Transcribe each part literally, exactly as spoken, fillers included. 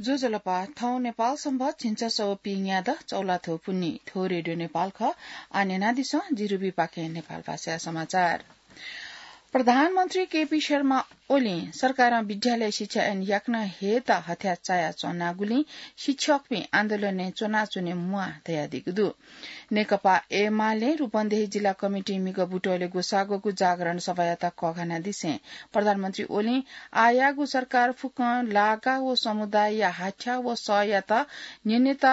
ज्वजलपा, थौं नेपाल संवत् झिंछसः व पीन्यादँ चौलाथ्व पुन्हि। थ्व रेडियो नेपाल खः। आः न्यनादिसँ, जिरुबीपाखें नेपाल भाषाया समाचार। प्रधानमन्त्री केपी शर्मा ओलीं सरकारं विद्यालय शिक्षा ऐन याकनं हे त हथ्याः चायाच्वनागुलिं शिक्षकपिं आन्दोलनय् च्वनाच्वने म्वाः धयादीगु दु। नेकपा एमालें रूपन्देही जिल्ला कमिटीं म्हिगः बुटवलय् ग्वसाःगु जागरण सभायात कःघानादिसें प्रधानमन्त्री ओलीं आःयागु सरकार फुक्कं लागा व समुदायया हाथ्या व सःयात न्यनेत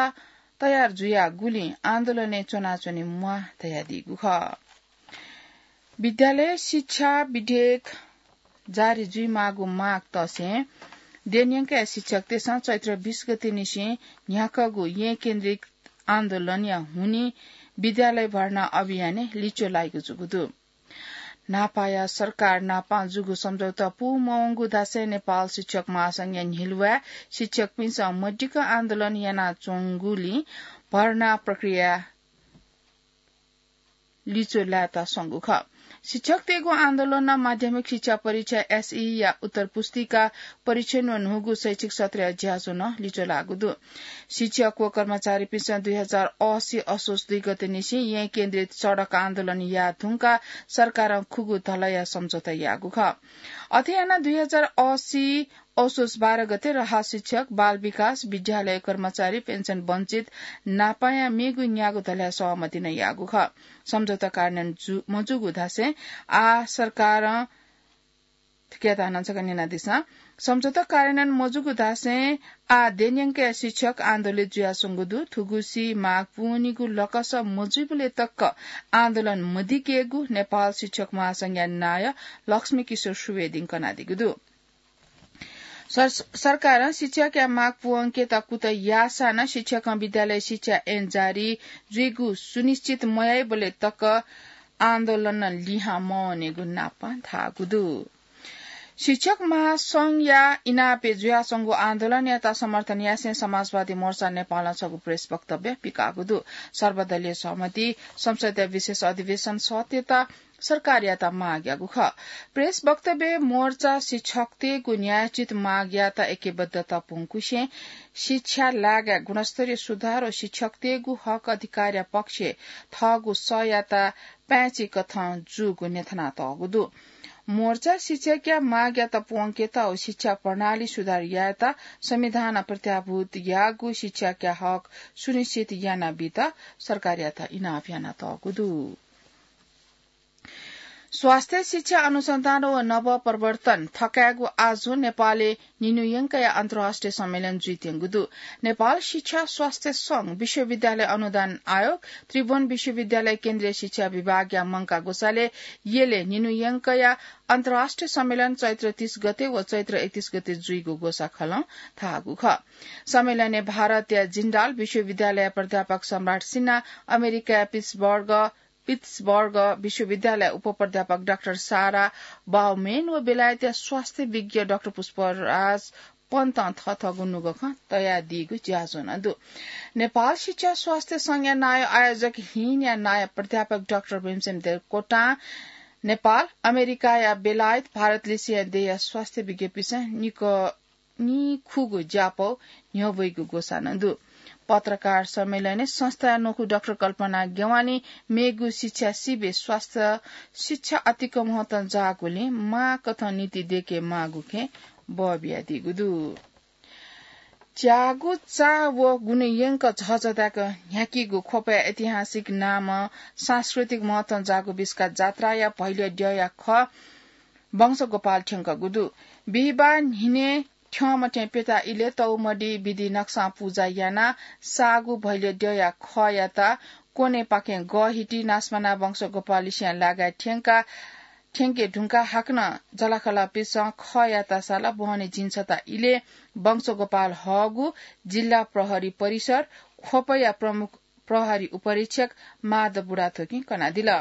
तयार जुयागुलिं आन्दोलनय् च्वनाच्वने म्वाः धयादीगु खः। विद्यालय शिक्षा विधेयक जारी जुइमाःगु माग तसें देन्यंकया शिक्षकतय्सं चैत्र बीस गते निसें न्ह्याकःगु येँ केन्द्रित आन्दोलनया हुनिं विद्यालय भर्ना अभियानय् लिच्वः लाइगु जूगु दु। न्हापाया सरकार नापं जूगु सम्झौता पूमवंगु धासें नेपाल शिक्षक महासंघया न्हिलुवाय् शिक्षकपिन्सं मदिक्क आन्दोलन यानाच्वंगुलिं भर्ना प्रक्रिया लिच्वः लायेत स्वंगु खः। शिक्षकतय्गु आन्दोलनं माध्यमिक शिक्षा परीक्षा, एसई, या उत्तर पुस्तिका परीक्षण व न्हूगु शैक्षिक सत्रया ज्याझ्वः नं लिच्वः लाःगु दु। शिक्षक व कर्मचारीपिन्सं दुई हजार असी असोज दुई गते निसें येँ केन्द्रित सडक आन्दोलन याये धुंकाः सरकारं खुगू धलया सम्झौता याःगु खः। अथे यानाः दुई हजार असी असोज बाह्र गते रहल शिक्षक, बाल विकास, विद्यालय कर्मचारी, पेन्सन वञ्चित नापंया मेगु न्यागू धलया सहमति नं याःगु खः। सम्झौता कार्यान्वयन जु-, मजूगु धासें आः सरकारं, थुकियात हानं छकः न्यनादिसँ। सम्झौता कार्यान्वयन मजूगु धासें आः देन्यंकया शिक्षक आन्दोलित जुयाच्वंगु दु। थुगुसी माग पूवनीगु लकस मजुइबलय् तक आन्दोलन मदिकेगु नेपाल शिक्षक महासंघया नायः लक्ष्मी किशोर सुवेदीं कनादीगु दु। सर-, सरकारं शिक्षकया माग पूवंकेत कुतः याःसां नं शिक्षकं विद्यालय शिक्षा ऐन जारी जुइगु सुनिश्चित मयाइबलय् तक आन्दोलन लिहां मवनेगु नापं धाःगु दु। शिक्षक महासंघया इनापय् जुयाच्वंगु आन्दोलनयात समर्थन यासें समाजवादी मोर्चा नेपालं छगू प्रेस वक्तव्य पिकाःगु दु। सर्वदलीय सहमति, संसदया विशेष अधिवेशन सत्यता सरकारयात माग याःगु खः। प्रेस वक्तव्यय् मोर्चा शिक्षकतय्गु न्यायोचित मागयात ऐक्यबद्धता प्वंकुसें शिक्षा लागाय् गुणस्तरीय सुधार व शिक्षकतय्गु हक अधिकारया पक्षय् थःगु सःयात पाय्चिकथं जूगु न्ह्यथनातःगु दु। मोर्चा शिक्षकया मागयात प्वंकेत व शिक्षा प्रणाली सुधार यायेत संविधानं प्रत्याभूत याःगु शिक्षकया हक सुनिश्चित यानाबीत सरकारयात इनाप यानातःगु दु। स्वास्थ्य शिक्षा अनुसन्धान व नवप्रवर्तन थकायेगु आजु नेपालय् निन्हु यंकया अन्तर्राष्ट्रिय सम्मेलन जुइत्यंगु दु। नेपाल शिक्षा स्वास्थ्य संघ, विश्वविद्यालय अनुदान आयोग, त्रिभुवन विश्वविद्यालय केन्द्रीय शिक्षा विभागया मंकाः ग्वसालय् यलय् निन्हु यंकया अन्तर्राष्ट्रिय सम्मेलन चैत्र तीस गते व चैत्र एकतीस गते जुइगु ग्वसाखलं धाःगु खः। सम्मेलनय् भारतया जिन्डाल विश्वविद्यालय प्राध्यापक सम्राट सिन्हा, अमेरिकाया पिट्सबर्ग पिट्सबर्ग विश्वविद्यालय उपप्राध्यापक डाक्टर सारा बाउमेन व बेलायतया स्वास्थ्य विज्ञ डाक्टर पुष्पराज पन्तं थःथःगु नुगः खँ तयादीगु ज्याझ्वः नं दु। नेपाल शिक्षा स्वास्थ्य संघया नायः आयोजक हिनया नायः प्राध्यापक डाक्टर भीमसेन देवकोटां नेपाल, अमेरिकाया बेलायत, भारतलिसेया देय्या स्वास्थ्य विज्ञपिन्सं निक निखुगू ज्यापौ न्ह्यब्वइगु ग्वसाः नं दु। पत्रकार सम्मेलनय् संस्थाया न्वखु डाक्टर कल्पना गेवालीं मेगु शिक्षा सिबय् स्वास्थ्य शिक्षा अतिक महत्वं जाःगुलिं माःकथं नीति दय्के माःगु खँय् बः बियादीगु दु। च्यागू चा व गुणयंक झःझदाय्क न्ह्याकीगु ख्वपया ऐतिहासिक नामं सांस्कृतिक महत्वं जाःगु बिस्का जात्राया भैलय् द्यःया खः वंशगोपाल थ्यंकगु दु। बिहिबाः न्हिनय् थ्यंमथें प्यता इलय् तौमडी विधि नक्सां पुजा यानाः साःगु भैलय् द्यःया खःयात क्वनेपाखें गःहिति नासमाना वंशगोपाललिसें लागाय् थ्यंका, थ्यंके धुंकाः हाकनं जःलाखःलापिन्सं खःयात साला बहनी झिंछता इलय् वंशगोपाल हःगु जिल्ला प्रहरी परिसर ख्वपया प्रमुख प्रहरी उपरीक्षक माधव बुढाथोकीं कनादिल।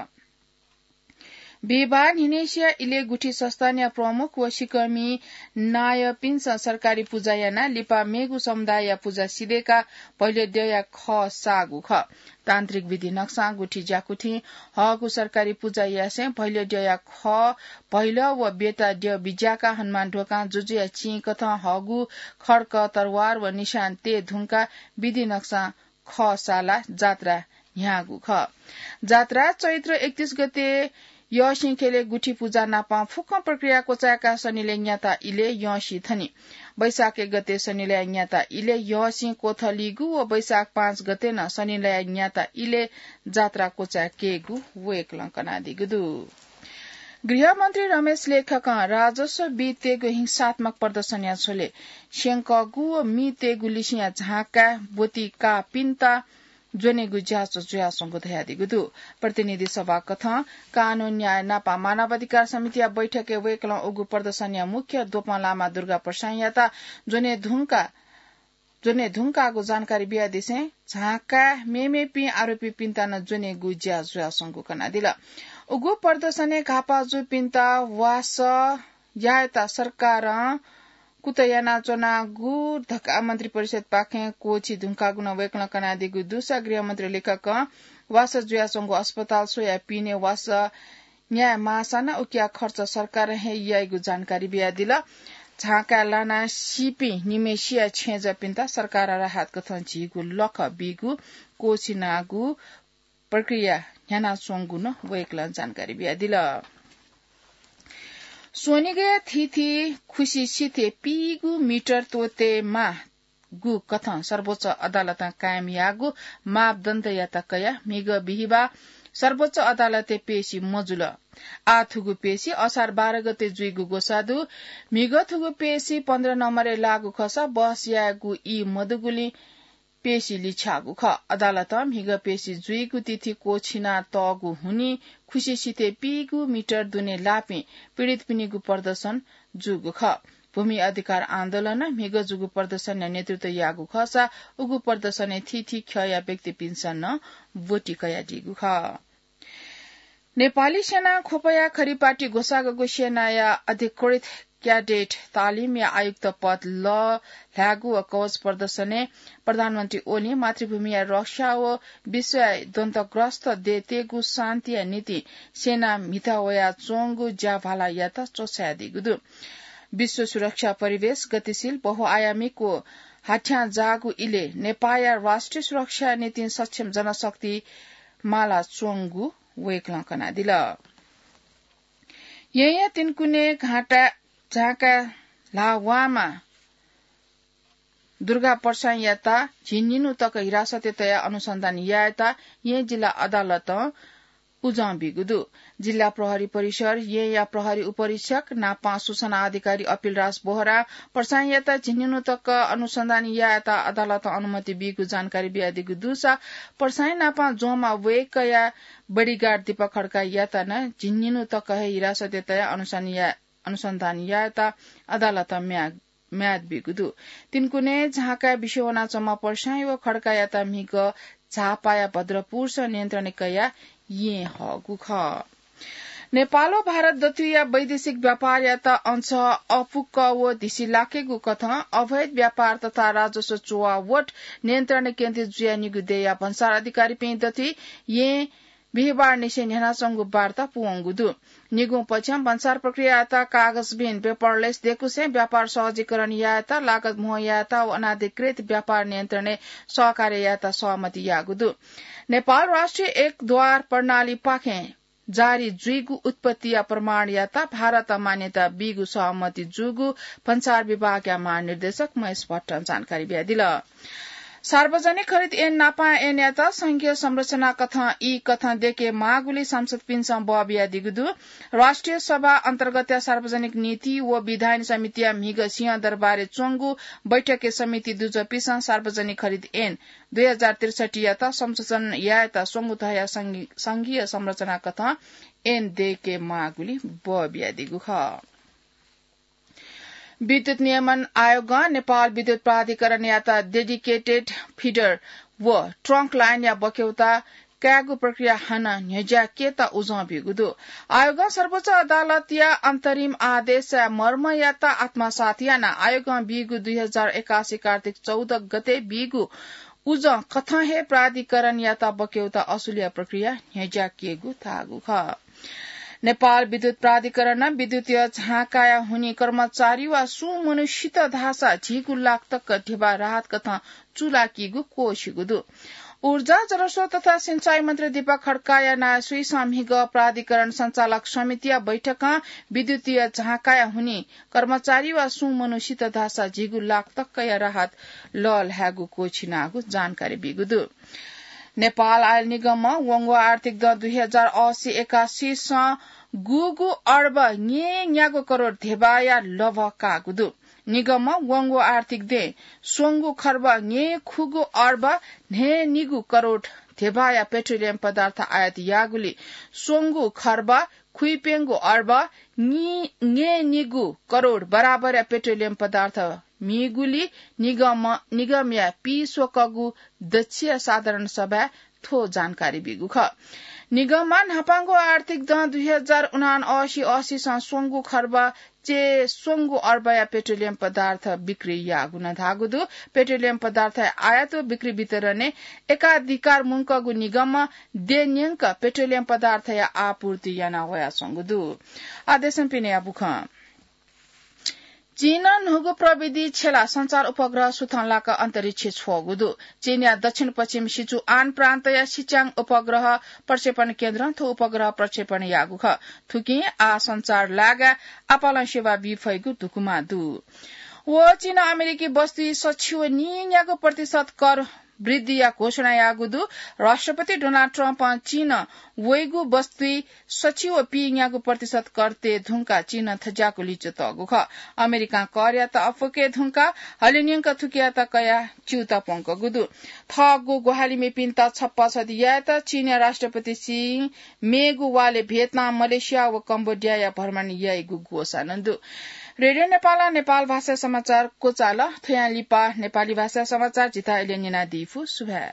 बिहिबार न्हिनेसिया इले गुठी संस्थानया प्रमुख व सिकःमि नायःपिन्सं सरकारी पुजा यानाः लिपा मेगु समुदायया पुजा सिधय्काः भैलद्यःया खः साःगु खः। तान्त्रिक विधि नक्सां गुठी ज्याकुथिं हःगु सरकारी पुजा यासें भैलद्यःया खः भैलः व बेता द्यः बिज्याकाः हनुमान ढ्वकां जुजुया चिं कथं हःगु खड्क, तरवार व निशान तये धुंकाः विधि नक्सां खः सालाः जात्रा न्ह्याःगु खः। जात्रा चैत्र एकतीस गते यःसिं ख्यलय् गुठी पुजा नापं फुक्कं प्रक्रिया क्वचाय्काः सनिलय् न्याता इलय् यःसिं थनी। वैशाख एक गते सनिलय् न्याता इलय् यःसिं क्वथलीगु व वैशाख पाँच गते नं सनिलय् न्याता इलय् जात्रा क्वचाय्केगु वय्कलं कनादीगु दु। गृहमन्त्री रमेश लेखकं राजस्व बीतय्गु हिंसात्मक प्रदर्शनया झ्वलय् स्यंकःगु व मीतय्गु लिसिंया झांकाय् ब्वति काःपिन्त ज्वनेगु ज्याझ्वः जुयाच्वंगु धयादीगु दु। प्रतिनिधि सभा कथं कानून न्याय नापं मानवाधिकार समितिया बैठकय् वय्कलं उगु प्रदर्शनया मुख्य द्वपं लामा दुर्गा प्रसाईंयात ज्वने धुंका ज्वने धुंकाःगु जानकारी बियादिसें झांकाय् मेमेपिं आरोपीपिन्त नं ज्वनेगु ज्या जुयाच्वंगु कनादिल। उगु प्रदर्शनय् घाःपाः जूपिन्त वासः यायेत सरकारं कुतः यानाच्वनागु धकाः मन्त्रिपरिषदपाखें क्वःछी धुंकाःगु नं वय्कलं कनादीगु दुसा गृहमन्त्री लेखकं वासः जुयाच्वंगु अस्पताल स्वयाः पिने वासः न्याये माःसा नं उकिया खर्च सरकारं हे याइगु जानकारी बियादिल। झांकाय् लानाः सीपिं निम्हय्सिया छेँजःपिन्त सरकारं राहत कथं झीगु लखं बीगु क्वःछिनागु प्रक्रिया न्ह्यानाच्वंगु नं वय्कलं जानकारी बियादिल। स्वनिगय् थीथी खुसि सिथय् पीगु मिटर त्वःतेमाःगु कथं सर्वोच्च अदालतं कायम याःगु मापदण्डयात कयाः म्हिगः बिहिबाः सर्वोच्च अदालतय् पेशि मजुल। आः थुगु पेशि असार बाह्र गते जुइगु ग्वसाः दु। म्हिगः थुगु पेशि पन्ध्र नम्बरय् लाःगु खःसा बहस यायेगु ई मदुगुलिं पेशि लिछ्याःगु खः। अदालतं म्हिगः पेशि जुइगु तिथि क्वःछिना तःगु हुनिं खुसि सिथय् पीगु मिटर दुने लाःपिं पीडितपिनिगु प्रदर्शन जूगु खः। भूमि अधिकार आन्दोलनं म्हिगः जूगु प्रदर्शनया नेतृत्व याःगु खःसा उगु प्रदर्शनय् थीथी ख्यःया व्यक्तिपिन्सं नं ब्वति कयादीगु खः। नेपाली सेनां ख्वपया खरिपाटी ग्वसाःगु सेनाया अधिकृत क्याडेट तालिमया आयुक्त पद लःल्हायेगु व कवच प्रदर्शनय् प्रधानमन्त्री ओलीं मातृभूमिया रक्षा व विश्वया द्वन्द्वग्रस्त देय्‌तय्‌गु शान्तिया निंतिं सेना म्हिता वयाच्वंगु ज्याभालायात च्वछायादीगु दु। विश्व सुरक्षा परिवेश गतिशील, बहुआयामिक व हाथ्यां जाःगु इलय् नेपाःया राष्ट्रिय सुरक्षाया निंतिं सक्षम जनशक्ति मालाच्वंगु वय्‌कलं कनादिल। येँया तिनकुने घाँटा झाँका ल्हाः वाःम्ह दुर्गा प्रसाईंयात झिंनिन्हु तक हिरासतय् तयाः अनुसन्धान यायेत येँ जिल्ला अदालतं उजं बीगु दु। जिल्ला प्रहरी परिसर येँया प्रहरी उपरीक्षक नापं सूचना अधिकारी अपिलराज बोहरां प्रसाईंयात झिंनिन्हु तक अनुसन्धान यायेत अदालतं अनुमति बीगु जानकारी बियादीगु दुसा प्रसाईं नापं ज्वंम्ह वय्‌कःया बडिगार्ड दीपक खड्कायात नं झिंनिन्हु तक हे हिरासतय् तयाः अनुसन्धान या-, अनुसन्धान यायेत अदालतं म्या-, म्याद बीगु दु। तिनकुने झाँकाय् बिस्युं वनाच्वंम्ह प्रसाईं व खड्कायात म्हिगः झापाया भद्रपुरसं नियन्त्रणय् कयाः येँ हःगु खः। नेपाल व भारत दथुइया वैदेशिक व्यापारयात अझ अःपुक व धिसि लाकेगु कथं अवैध व्यापार तथा राजस्व चुवावट नियन्त्रण केन्द्रित जुयाः निगू देय्‌या भन्सार अधिकारीपिं दथुइ येँ बिहिबारनिसें न्ह्यानाच्वंगु वार्ता पूवंगु दु। निगुं पक्षं भन्सार प्रक्रियायात कागजबिन, paperless, दयेकुसें व्यापार सहजीकरण यायेत, लागत म्हो यायेत व अनाधिकृत व्यापार नियन्त्रणय् सहकार्य यायेत सहमति याःगु दु। नेपाल राष्ट्रिय एक द्वार प्रणालीपाखें जारी जुइगु उत्पत्तिया प्रमाणयात भारतं मान्यता बीगु सहमति जूगु भन्सार विभागया महानिर्देशक महेश भट्टं जानकारी बियादिल। सार्वजनिक खरिद ऐन नापं ऐनयात संघीय संरचना कथं ई कथं दयेके माःगुलिइ सांसदपिन्सं बः बियादीगु दु। राष्ट्रिय सभा अन्तर्गतया सार्वजनिक नीति व विधायन समितिया म्हिगः सिंहदरबारय् च्वंगु बैठकय् समिति दुजःपिसं सार्वजनिक खरिद ऐन दुई हजार त्रिसठ्ठीयात संशोधन यायेत स्वंगू तहया संघी-, संघीय संरचना कथं ऐन दयेके माःगुलिइ बः बियादीगु खः। विद्युत नियमन आयोगं नेपाल विद्युत प्राधिकरणयात dedicated feeder व trunk line या बखेवात कायेगु प्रक्रिया हानं न्ह्यज्याकेत उजं ब्यूगु दु। आयोगं सर्वोच्च अदालतया अन्तरिम आदेशया मर्मयात आत्मसात यानाः आयोगं बीगु दुई हजार एकासी कार्तिक चौध गते बीगु उजं कथं हे प्राधिकरणयात बक्यौता असुलया प्रक्रिया न्ह्यज्याकेगु धाःगु खः। नेपाल विद्युत प्राधिकरणं विद्युतीय झाँकाया हुनि कर्मचारी वा सुं मनू सित धाःसा झिगू लाख तक ध्यबा राहत कथं चूलाकीगु क्वःछिगु दु। ऊर्जा, जलस्रोत तथा सिंचाई मन्त्री दीपक खड्काया नायःसुइसं म्हिगः प्राधिकरण सञ्चालक समितिया बैठकं विद्युतीय झाँकाया हुनि कर्मचारी वा सुं मनू सित धाःसा झिगू लाख तकया राहत लःल्हायेगु क्वःछिनागु जानकारी बीगु दु। नेपाल आयल निगमं वंगु आर्थिक दँ दुई हजार असी एकासीसं गुगु अर्ब न्येन्यागू करोड ध्यबाया लभः काःगु दु। निगमं वंगु आर्थिक दँय् स्वंगू खर्ब न्येखुगू अर्ब न्हय्‌निगू करोड ध्यबाया पेट्रोलियम पदार्थ आयात याःगुलिं स्वंगू खर्ब खुइप्यंगू अर्ब न्येन्यागू करोड बराबरया पेट्रोलियम पदार्थ मीगुलिं निगम, निगमया पीस्वकःगु दच्छिया साधारण सभाय् थ्व जानकारी बीगु खः। निगमं न्हापांगु आर्थिक दँ दुई हजार उनासी असीसं स्वंगू खर्ब च्यय् स्वंगू अर्बया पेट्रोलियम पदार्थ बिक्री याःगु नं धाःगु दु। पेट्रोलियम पदार्थया आयात व बिक्री वितरणय् एकाधिकार मुंकःगु निगमं दँय्‌न्यंक पेट्रोलियम पदार्थया आपूर्ति याना वयाच्वंगु दु। आः देशं पिनेया बुखँ। चीनं न्हूगु प्रविधि छ्यलाः सञ्चार उपग्रह सुथंलाक अन्तरिक्ष छ्वःगु दु। चीनया दक्षिण पश्चिम सिचुआन प्रान्तया सिच्याङ उपग्रह प्रक्षेपण केन्द्रं थ्व उपग्रह प्रक्षेपण याःगु खः। थुकिं आः सञ्चार लागाय् आपालं सेवा बी फइगु धुकुमा दु। व चीनं अमेरिकी वस्तुइ सछि व नीन्यागू प्रतिशत कर वृद्धिया घोषणा याःगु दु। राष्ट्रपति डोनाल्ड ट्रम्पं चीनं वइगु वस्तुइ सछि व पीन्यागू प्रतिशत कर तये धुंकाः चीनं थज्याःगु लिच्वः तःगु खः। अमेरिकां करयात अप्वके धुंकाः हलिंन्यंक थुकियात कयाः च्यूताः प्वंकूगु दु। थःगु ग्वाहालि मेपिन्त छप्पछत यायेत चीनया राष्ट्रपति शीं मेगु वालय् भियतनाम, मलेसिया व कम्बोडियाया भ्रमण याइगु ग्वसाः नं दु। रेडियो नेपालं नेपाल भाषा समाचार क्वचाल। थ्वयां लिपा नेपाली भाषा समाचार जितः अय्‌लं न्यनादी फु। सुभाय्।